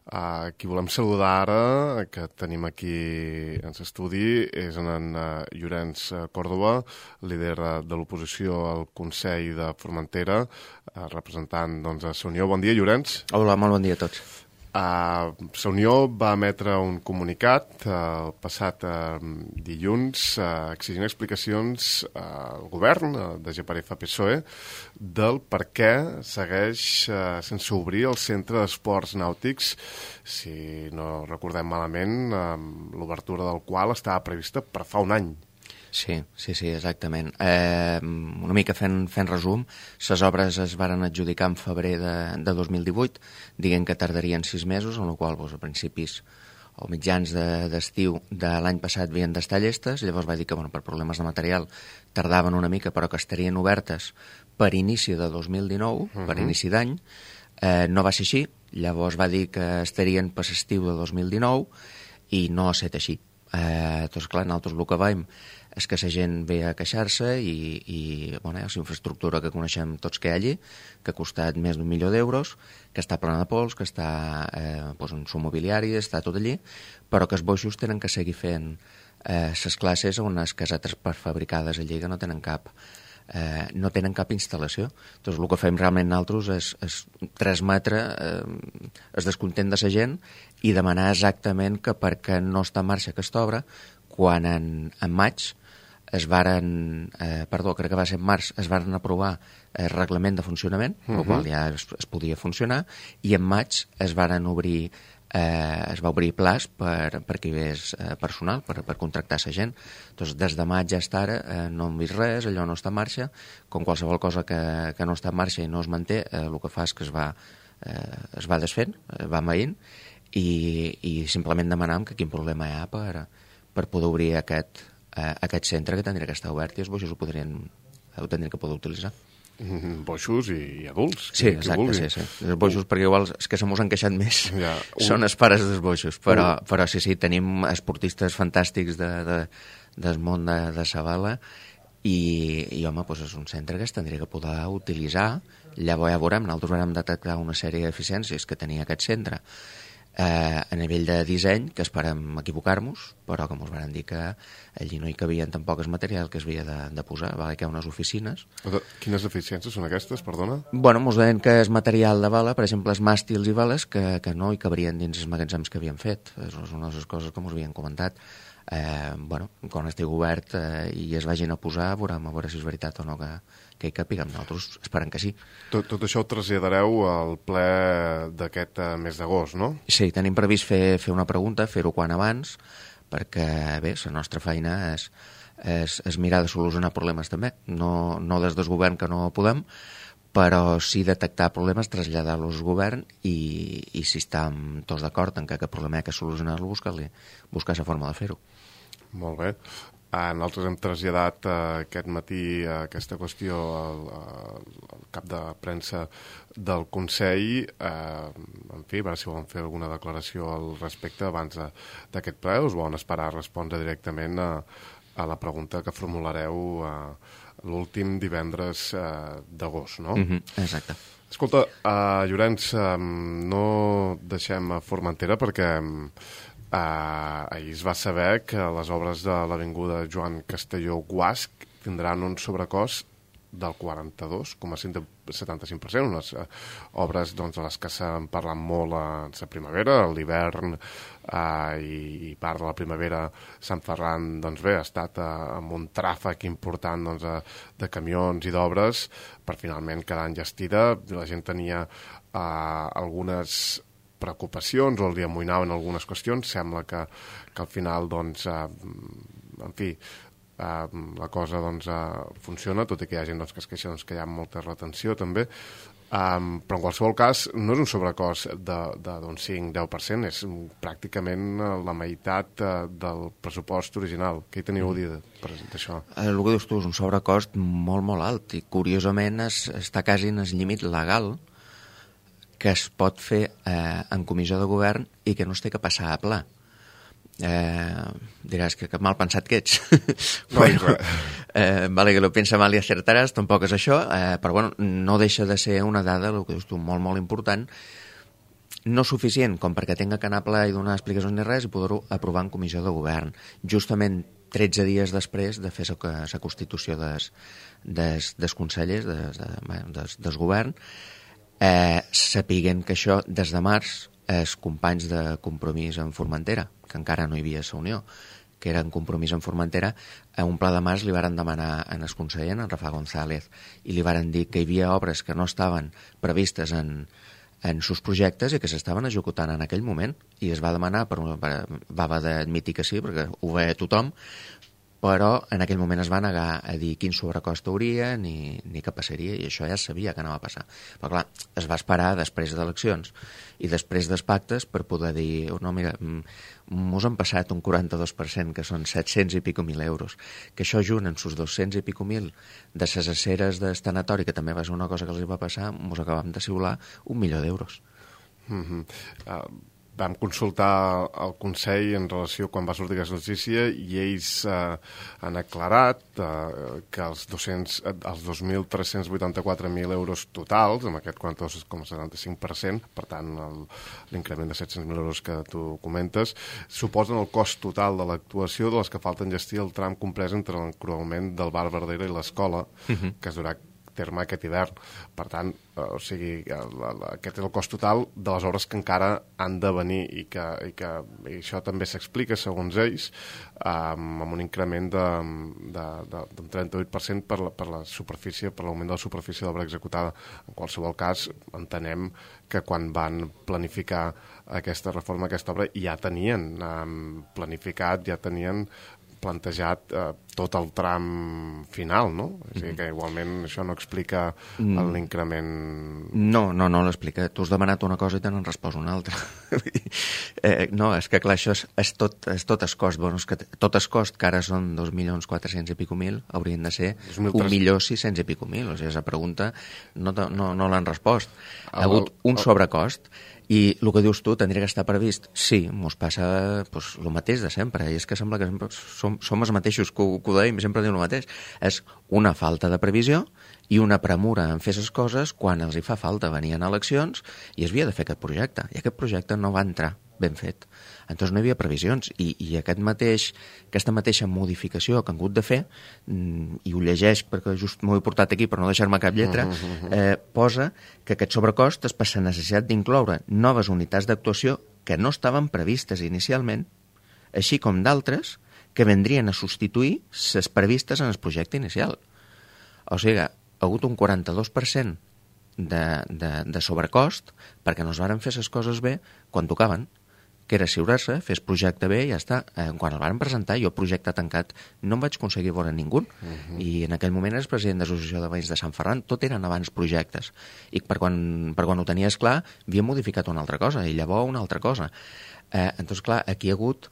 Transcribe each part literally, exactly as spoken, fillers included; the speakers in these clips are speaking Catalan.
Uh, qui volem saludar ara, que tenim aquí en l'estudi, és en uh, Llorenç Còrdova, líder uh, de l'oposició al Consell de Formentera, uh, representant doncs, a la Unió. Bon dia, Llorenç. Hola, molt bon dia a tots. Uh, la Unió va emetre un comunicat uh, el passat uh, dilluns uh, exigint explicacions uh, al govern uh, de G P F P S O E del per què segueix uh, sense obrir el centre d'esports nàutics, si no recordem malament, uh, l'obertura del qual estava prevista per fa un any. Sí, sí, sí, exactament. Eh, una mica fent, fent resum, les obres es varen adjudicar en febrer de, de dos mil divuit, diguem que tardarien sis mesos, en la qual doncs, a principis o mitjans d'estiu de, de l'any passat havien d'estar llestes, llavors va dir que bueno, per problemes de material tardaven una mica, però que estarien obertes per inici de dos mil dinou, uh-huh. per inici d'any. Eh, no va ser així, llavors va dir que estarien per l'estiu de dos mil dinou i no ha estat així. Eh, doncs clar, nosaltres el que veiem és que la gent ve a queixar-se i, i bueno, és infraestructura que coneixem tots que hi ha allí, que ha costat més d'un milió d'euros, que està plena de pols, que està eh, doncs en su mobiliari, està tot allí, però que els boixos tenen que seguir fent les eh, classes a unes casetes prefabricades allí que no tenen cap eh, no tenen cap instal·lació. Doncs el que fem realment nosaltres és, és transmetre eh, el descontent de la gent i demanar exactament que perquè no està en marxa aquesta obra, quan en, en maig es varen, eh, perdó, crec que va ser en març, es varen aprovar el reglament de funcionament, uh-huh. el qual ja es, es podia funcionar, i en maig es varen obrir, eh, es va obrir plaç per, per que hi hagués eh, personal, per, per contractar la gent. Doncs des de maig ja està ara, eh, no hem vist res, allò no està en marxa, com qualsevol cosa que, que no està en marxa i no es manté, eh, el que fa és que es va, eh, es va desfent, eh, va maïnt, i, i simplement demanam que quin problema hi ha per, per poder obrir aquest aquest centre que tindria que estar obert i els boixos ho podrien ho tindrien que poder utilitzar. Mm, boixos i, i adults. Sí, exacte, sí, sí. Els boixos, uh. perquè igual els que se mos han queixat més ja, uh. són els pares dels boixos, però, uh. però sí, sí, tenim esportistes fantàstics de, de, del món de, de Sabala i, i home, doncs és un centre que es tindria que poder utilitzar. Llavors ja veurem, nosaltres vam detectar una sèrie d'eficiències que tenia aquest centre Eh, a nivell de disseny, que esperem equivocar-nos, però que ens van dir que allí no hi cabien tampoc el material que es havia de, de posar, va haver unes oficines. Quines deficiències són aquestes, perdona? Bueno, ens deien que és material de vela, per exemple, els màstils i veles, que, que no hi cabrien dins els magatzems que havien fet. És una de les coses que ens havien comentat. Eh, bueno, quan estigui obert eh, i es vagin a posar, veurem a veure si és veritat o no que, que hi capiguem. Nosaltres esperem que sí. Tot, tot això ho traslladareu al ple d'aquest uh, mes d'agost, no? Sí, tenim previst fer, fer una pregunta, fer-ho quan abans, perquè bé, la nostra feina és, és, és mirar de solucionar problemes també. No, no des del govern que no podem, però sí detectar problemes, traslladar-los al govern i, i si estem tots d'acord en que aquest problema hi ha que solucionar-lo, buscar-li, buscar la forma de fer-ho. Molt bé. Ah, nosaltres hem traslladat uh, aquest matí uh, aquesta qüestió al, al cap de premsa del Consell. Uh, en fi, a veure si volen fer alguna declaració al respecte abans d'aquest ple, us volen esperar a respondre directament a, a la pregunta que formulareu uh, l'últim divendres uh, d'agost, no? Mm-hmm, exacte. Escolta, uh, Llorenç, um, no deixem a Formentera perquè Uh, ahir es va saber que les obres de l'avinguda Joan Castelló Guasc tindran un sobrecost del quaranta-dos coma setanta-cinc per cent, unes uh, obres doncs, de les que s'han parlat molt a la primavera, a l'hivern uh, i, i part de la primavera Sant Ferran doncs bé, ha estat uh, amb un tràfic important doncs, uh, de camions i d'obres per finalment quedar enllestida. La gent tenia uh, algunes preocupacions o els amoïnaven algunes qüestions. Sembla que, que al final doncs, eh, en fi eh, la cosa doncs, eh, funciona, tot i que hi ha gent doncs, que es queixa doncs, que hi ha molta retenció també, eh, però en qualsevol cas no és un sobrecost de, de d'un cinc a deu per cent, és pràcticament la meitat eh, del pressupost original. Què hi teniu a dir d'això? El que dius tu és un sobrecost molt molt alt i curiosament es, està quasi en el límit legal que es pot fer eh, en comissió de govern i que no es té que passar a pla. Eh, diràs que, que mal pensat que ets. No, bueno, eh, vale, que lo pensa mal i acertaràs, tampoc és això, eh, però bueno, no deixa de ser una dada, el que dius tu, molt, molt important, no suficient com perquè tinga que anar a ple i donar explicacions ni res i poder-ho aprovar en comissió de govern. Justament tretze dies després de fer la constitució des, des, des consellers, des, des, des govern, eh, sapiguen que això, des de març, els companys de Compromís en Formentera, que encara no hi havia la Unió, que era en Compromís en Formentera, a un pla de març li varen demanar en el conseller, en Rafa González, i li varen dir que hi havia obres que no estaven previstes en, en sus projectes i que s'estaven executant en aquell moment, i es va demanar, per, per, va haver d'admitir que sí, perquè ho veia tothom, però en aquell moment es va negar a dir quin sobrecost hauria ni, ni què passaria, i això ja es sabia que anava a passar. Però clar, es va esperar després d'eleccions i després dels pactes per poder dir, oh, no, mira, mos han passat un quaranta-dos per cent, que són set-cents i pico mil euros, que això junt en sus dos-cents i pico mil de ses aceres del tanatori, que també va ser una cosa que els va passar, mos acabam de xiular un milió d'euros. Mm-hmm. Uh... Vam consultar el Consell en relació quan va sortir aquesta notícia i ells eh, han aclarat eh, que els, doscents, els dos mil tres-cents vuitanta-quatre mil euros totals, amb aquest quaranta-dos coma setanta-cinc per cent, per tant l'increment de set-cents mil euros que tu comentes, suposen el cost total de l'actuació de les que falten gestir el tram comprès entre l'encruament del bar Verdera i l'escola, uh-huh. que es durà terme aquest hivern. Per tant, eh, o sigui, la, la, aquest és el cost total de les obres que encara han de venir i que, i que i això també s'explica, segons ells, eh, amb un increment de, de, de, d'un trenta-vuit per cent per la, per la superfície, per l'augment de la superfície de l'obra executada. En qualsevol cas, entenem que quan van planificar aquesta reforma, aquesta obra, ja tenien eh, planificat, ja tenien plantejat eh, tot el tram final, no? O sigui que igualment això no explica l'increment... No, no, no l'explica. Tu has demanat una cosa i te n'han respost una altra. eh, no, és que clar, això és, és, tot, és tot es cost. Bueno, és que tot es cost, que ara són dos milions quatre-cents i pico mil, haurien de ser un milió sis-cents i pico mil. O sigui, la pregunta no, no, no l'han respost. Ha hagut un sobrecost. I el que dius tu, tindria que estar previst? Sí, mos passa pues, el mateix de sempre, i és que sembla que sempre som, som els mateixos que ho, que ho deim, sempre diu el mateix. És una falta de previsió i una premura en fer les coses quan els hi fa falta. Venien eleccions i es havia de fer aquest projecte, i aquest projecte no va entrar ben fet. Entonces no hi havia previsions, i, i aquest mateix, aquesta mateixa modificació que han hagut de fer, i ho llegeix perquè just m'ho he portat aquí per no deixar-me cap lletra, eh, posa que aquest sobrecost és per la necessitat d'incloure noves unitats d'actuació que no estaven previstes inicialment, així com d'altres que vendrien a substituir les previstes en el projecte inicial. O sigui, ha hagut un quaranta-dos per cent de, de, de sobrecost perquè no es varen fer les coses bé quan tocaven, que era assegurar-se, fes projecte bé i ja està. Eh, quan el van presentar, jo projecte tancat no em vaig aconseguir veure ningú, uh-huh. i en aquell moment eres president de l'Associació de Veïns de Sant Ferran, tot eren abans projectes, i per quan, per quan ho tenies clar havia modificat una altra cosa, i llavors una altra cosa. Eh, doncs clar, aquí hi ha hagut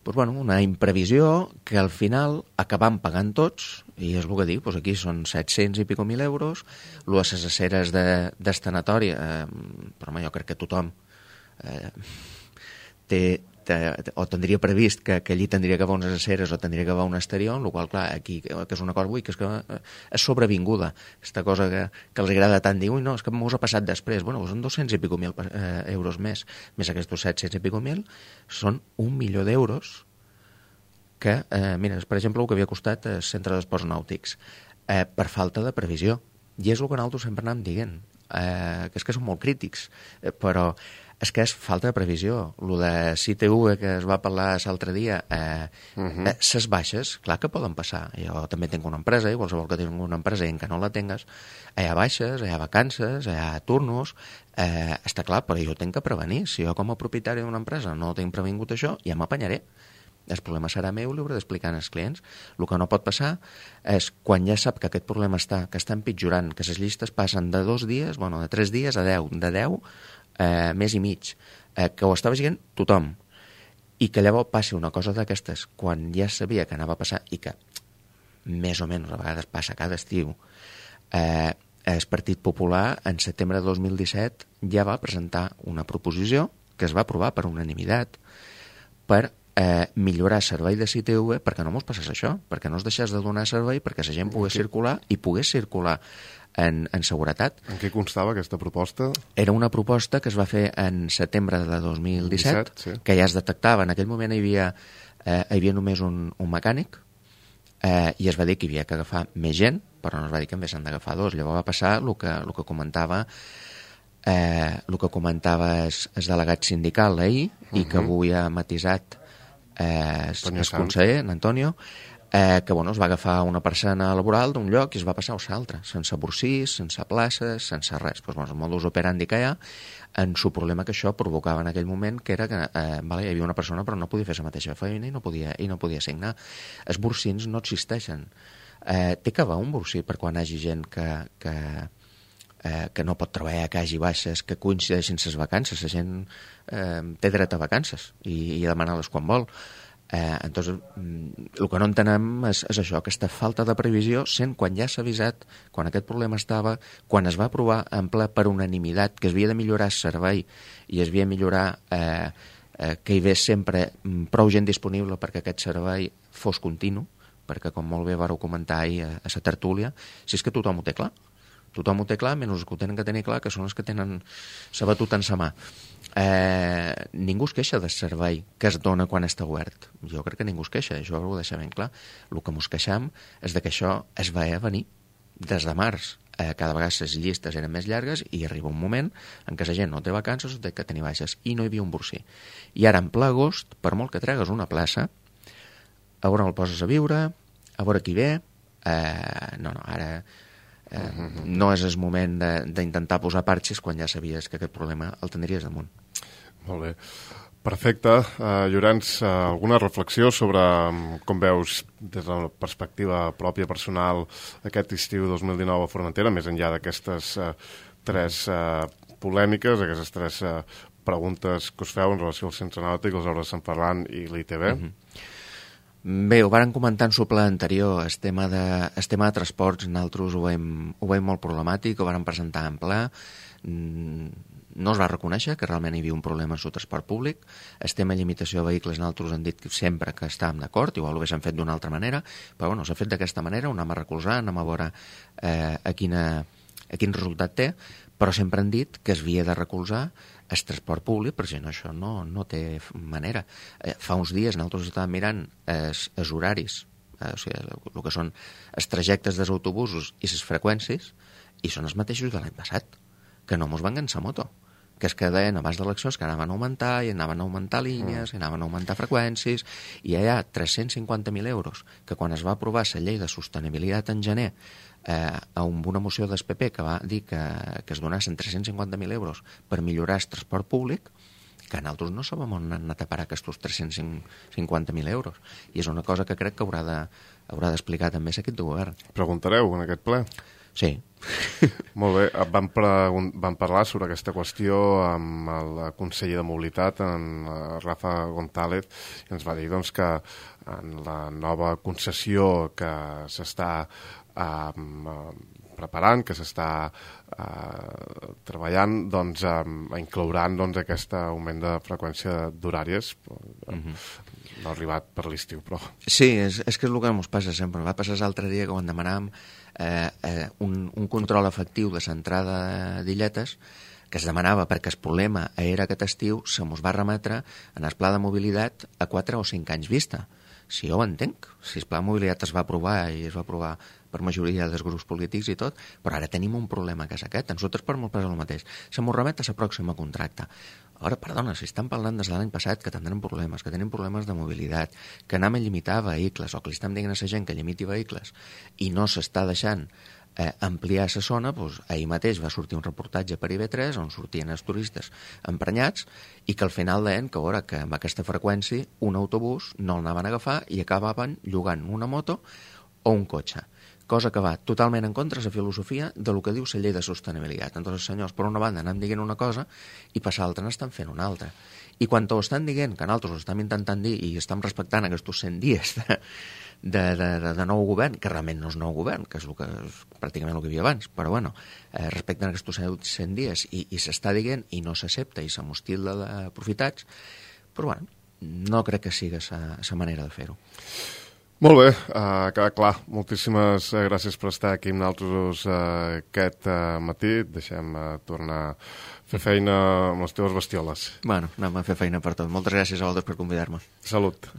pues, bueno, una imprevisió que al final acabam pagant tots, i és el que dic, pues aquí són set-cents i pico mil euros, lo de les aceres de, d'estanatori, eh, però home, jo crec que tothom eh, té, té, o tindria previst que, que allí tindria que haver unes aceres o tindria que haver un exterior, en el qual, clar, aquí, que és una cosa, ui, que és que és sobrevinguda, aquesta cosa que, que els agrada tant dir, ui, no, és que m'ho ha passat després, bueno, són dos-cents i pico mil eh, euros més, més aquests set-cents i pico mil, són un milió d'euros que, eh, mira, per exemple, el que havia costat el centre d'esports nàutics, eh, per falta de previsió, i és el que nosaltres sempre anàvem dient, eh, que és que són molt crítics, eh, però és que és falta de previsió. Lo de C T U que es va parlar l'altre dia, eh, uh-huh. eh, ses baixes, clar que poden passar. Jo també tinc una empresa, i qualsevol que tingui una empresa i en que no la tingues, hi ha baixes, hi ha vacances, hi ha turnos, eh, està clar, però jo tinc que prevenir. Si jo com a propietari d'una empresa no tinc previngut això, ja m'apanyaré. El problema serà meu, li hauré d'explicar als clients. El que no pot passar és, quan ja sap que aquest problema està, que està empitjorant, que les llistes passen de dos dies, bueno, de tres dies a deu, de deu, eh, més i mig, eh, que ho estava veient tothom, i que llavors passi una cosa d'aquestes, quan ja sabia que anava a passar, i que més o menys a vegades passa cada estiu, eh, el Partit Popular, en setembre de dos mil disset, ja va presentar una proposició que es va aprovar per unanimitat per eh, millorar el servei de C T V perquè no mos passés això, perquè no es deixés de donar servei, perquè la gent pogués circular i pogués circular en, en seguretat. En què constava aquesta proposta? Era una proposta que es va fer en setembre de dos mil disset, disset, sí. que ja es detectava. En aquell moment hi havia, eh, hi havia només un, un mecànic, eh, i es va dir que hi havia que agafar més gent, però no es va dir que en s'han d'agafar dos. Llavors va passar el que, el que comentava eh, el que comentava el, el delegat sindical ahir, uh -huh. i que avui ha matisat eh, el, el conseller, en Antonio, eh, que bueno, es va agafar una persona laboral d'un lloc i es va passar a l'altre, sense bursís, sense places, sense res. Pues, bueno, el modus operandi que hi ha, en su problema que això provocava en aquell moment, que era que eh, vale, hi havia una persona però no podia fer la mateixa feina i no podia, i no podia signar. Els bursins no existeixen. Eh, té que haver un bursí per quan hi hagi gent que, que, eh, que no pot treballar, que hagi baixes, que coincideixin les vacances. La gent eh, té dret a vacances i, i a demanar-les quan vol. Eh, entonces, el que no entenem és, és això, aquesta falta de previsió, sent quan ja s'ha avisat, quan aquest problema estava, quan es va aprovar en ple per unanimitat que es havia de millorar el servei i es havia de millorar eh, eh, que hi hagués sempre prou gent disponible perquè aquest servei fos continu, perquè com molt bé vareu comentar ahir a, a la tertúlia, si és que tothom ho té clar. Tothom ho té clar, menys els que ho tenen que tenir clar, que són els que tenen la batuta en sa mà. Eh, ningú es queixa del servei que es dona quan està obert. Jo crec que ningú es queixa, això ho deixa ben clar. El que mos queixam és de que això es va a venir des de març. Eh, cada vegada les llistes eren més llargues i arriba un moment en què la gent no té vacances o té que tenir baixes i no hi havia un bursí. I ara en ple agost, per molt que tregues una plaça, a veure on el poses a viure, a veure qui ve, eh, no, no, ara eh, uh-huh. no és el moment d'intentar posar parxes quan ja sabies que aquest problema el tindries damunt. Molt bé. Perfecte. Uh, Llorenç, uh, alguna reflexió sobre um, com veus des de la perspectiva pròpia personal aquest estiu dos mil dinou a Formentera, més enllà d'aquestes uh, tres uh, polèmiques, aquestes tres uh, preguntes que us feu en relació al Centre Nàutic, les obres de Sant Ferran i l'I T B? Uh-huh. Bé, ho vàrem comentar en el ple anterior, el tema de, el tema de transports, nosaltres ho veiem, ho veiem molt problemàtic, ho vàrem presentar en ple, no es va reconèixer que realment hi havia un problema en el transport públic, el tema de limitació de vehicles, nosaltres hem dit sempre que estàvem d'acord, igual ho haguéssim fet d'una altra manera, però bueno, s'ha fet d'aquesta manera, ho anem a recolzar, anem a veure eh, a, quina, a quin resultat té, però sempre han dit que es havia de recolzar el transport públic, perquè no, això no, no té manera. Eh, fa uns dies nosaltres estàvem mirant els, els horaris, eh, o sigui, el que són els trajectes dels autobusos i les freqüències, i són els mateixos de l'any passat, que no mos van ganxar moto, que es que deien abans d'eleccions que anaven a augmentar i anaven a augmentar línies, i anaven a augmentar freqüències, i hi ha tres-cents cinquanta mil euros, que quan es va aprovar la llei de sostenibilitat en gener, eh, amb una moció del P P que va dir que, que es donassin tres-cents cinquanta mil euros per millorar el transport públic, que nosaltres no sabem on han anat a parar aquests tres-cents cinquanta mil euros. I és una cosa que crec que haurà de, haurà d'explicar també l'equip de govern. Preguntareu en aquest ple? Sí. Molt bé. Vam, pregun- vam parlar sobre aquesta qüestió amb el conseller de Mobilitat, en Rafa González, i ens va dir doncs, que en la nova concessió que s'està eh, preparant, que s'està eh, treballant, doncs eh, inclouran doncs, aquest augment de freqüència d'horàries. Mm-hmm. No ha arribat per l'estiu, però... Sí, és, és que és el que ens passa sempre. Va passar l'altre dia que quan demanàvem eh, eh, un, un control efectiu de l'entrada d'illetes, que es demanava perquè el problema era aquest estiu, se mos va remetre en el pla de mobilitat a quatre o cinc anys vista. Si jo ho entenc, si el pla de mobilitat es va aprovar i es va aprovar per majoria dels grups polítics i tot, però ara tenim un problema que és aquest. A nosaltres per molt passa el mateix. Se mos remet a la pròxima contracte. Ara, perdona, si estan parlant des de l'any passat que tindrem problemes, que tenim problemes de mobilitat, que anem a limitar vehicles, o que li estem dient a la gent que limiti vehicles, i no s'està deixant eh, ampliar la zona, doncs ahir mateix va sortir un reportatge per I V tres on sortien els turistes emprenyats i que al final deien que, veure, que amb aquesta freqüència un autobús no el anaven a agafar i acabaven llogant una moto o un cotxe, cosa que va totalment en contra de la filosofia de lo que diu la llei de sostenibilitat. Entonces, senyors, per una banda anem dient una cosa i per l'altra n'estan fent una altra. I quan ho estan dient, que nosaltres ho estem intentant dir i estem respectant aquests cent dies de, de, de, de, de nou govern, que realment no és nou govern, que és, el que, és pràcticament el que hi havia abans, però bueno, eh, respecten aquests cent dies i, i s'està dient i no s'accepta i se mos tilda d'aprofitats, però bueno, no crec que sigui la manera de fer-ho. Molt bé, uh, queda clar. Moltíssimes uh, gràcies per estar aquí amb nosaltres uh, aquest uh, matí. Deixem uh, tornar a fer feina amb les teves bestioles. Bueno, anem a fer feina per tot. Moltes gràcies a vosaltres per convidar-me. Salut.